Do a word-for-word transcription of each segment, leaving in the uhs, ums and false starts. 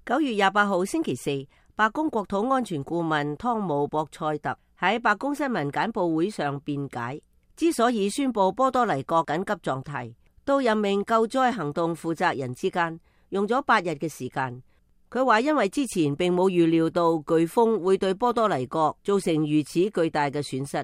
九月廿八號星期四，白宮國土安全顧問湯姆博塞特喺白宮新聞簡報會上辯解，之所以宣布波多黎各緊急狀態，到任命救災行動負責人之間用咗八日嘅時間。佢話因為之前並冇預料到颶風會對波多黎各造成如此巨大嘅損失，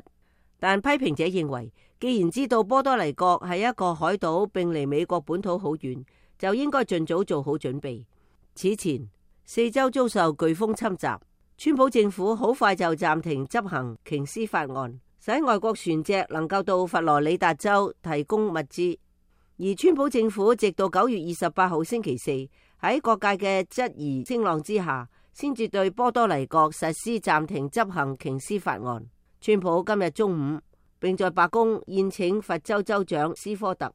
但批評者認為，既然知道波多黎各係一個海島並離美國本土好遠，就應該盡早做好準備。此前四州遭受颶風侵襲，川普政府好快就暫停執行瓊斯法案，使外國船隻能夠到佛羅里達州提供物資。而川普政府直到九月二十八號星期四，喺各界嘅質疑聲浪之下，先至對波多黎各實施暫停執行瓊斯法案。川普今日中午並在白宮宴請佛州州長斯科特。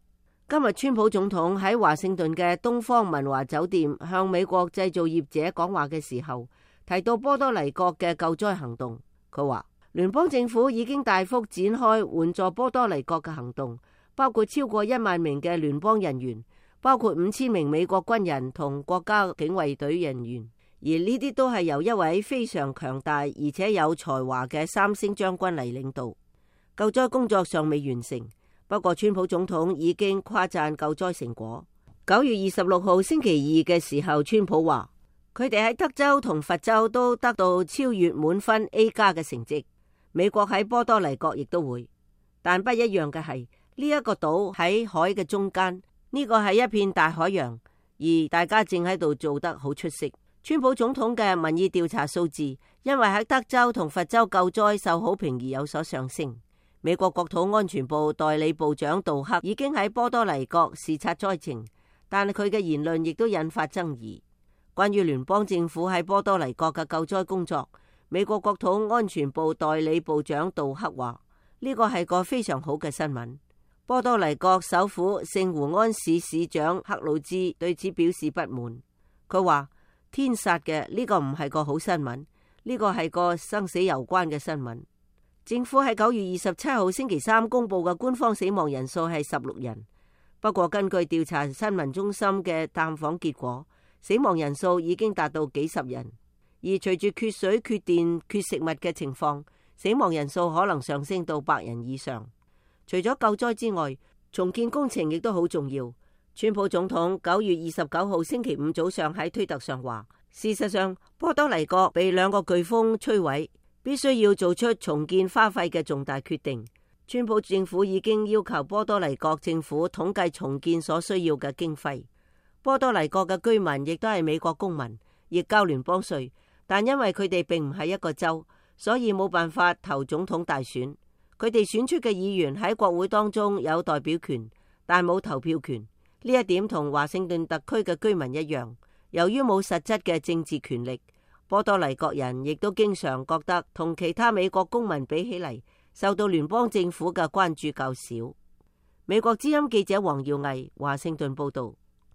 今日川普總統喺華盛頓嘅東方文華酒店向美國製造業者講話嘅時候，提到波多黎各嘅救災行動。佢話聯邦政府已經大幅展開援助波多黎各嘅行動，包括超過一萬名嘅聯邦人員，包括五千名美國軍人同國家警衛隊人員，而呢啲都係由一位非常強大而且有才華嘅三星將軍嚟領導。救災工作尚未完成，不過川普總統已經誇讚救災成果。九月二十六號星期二嘅時候，川普話佢哋喺德州同佛州都得到超越滿分 A 加嘅成績，美國喺波多黎各亦都會，但不一樣嘅係呢一個島喺海嘅中間，呢個係一片大海洋，而大家正喺度做得好出色。川普總統嘅民意調查數字因為喺德州同佛州救災受好評而有所上升。美國國土安全部代理部長杜克已經喺波多黎各視察災情，但佢嘅言論亦都引發爭議。關於聯邦政府喺波多黎各嘅救災工作，美國國土安全部代理部長杜克話呢個係個非常好嘅新聞。波多黎各首府聖胡安市市長克魯茲對此表示不滿，佢話天殺嘅，呢個唔係個好新聞，呢個係個生死攸關嘅新聞。政府喺九月二十七號星期三公布嘅官方死亡人數係十六人，不過根據調查新聞中心嘅探訪結果，死亡人數已經達到幾十人。而隨住缺水、缺電、缺食物嘅情況，死亡人數可能上升到百人以上。除咗救災之外，重建工程亦都好重要。川普總統九月二十九號星期五早上喺推特上話，事實上波多黎各被兩個颶風摧毀，必須要做出重建花費嘅重大決定。川普政府已經要求波多黎各政府統計重建所需要嘅經費。波多黎各嘅居民亦都係美國公民，亦交聯邦稅，但因為佢哋並唔係一個州，所以冇辦法投總統大選。佢哋選出嘅議員喺國會當中有代表權，但冇投票權。呢一點同華盛頓特區嘅居民一樣，由於冇實質嘅政治權力，波多黎各人亦都經常覺得同其他美國公民比起嚟，受到聯邦政府嘅關注較少。美國之音記者黃耀毅華盛頓報道。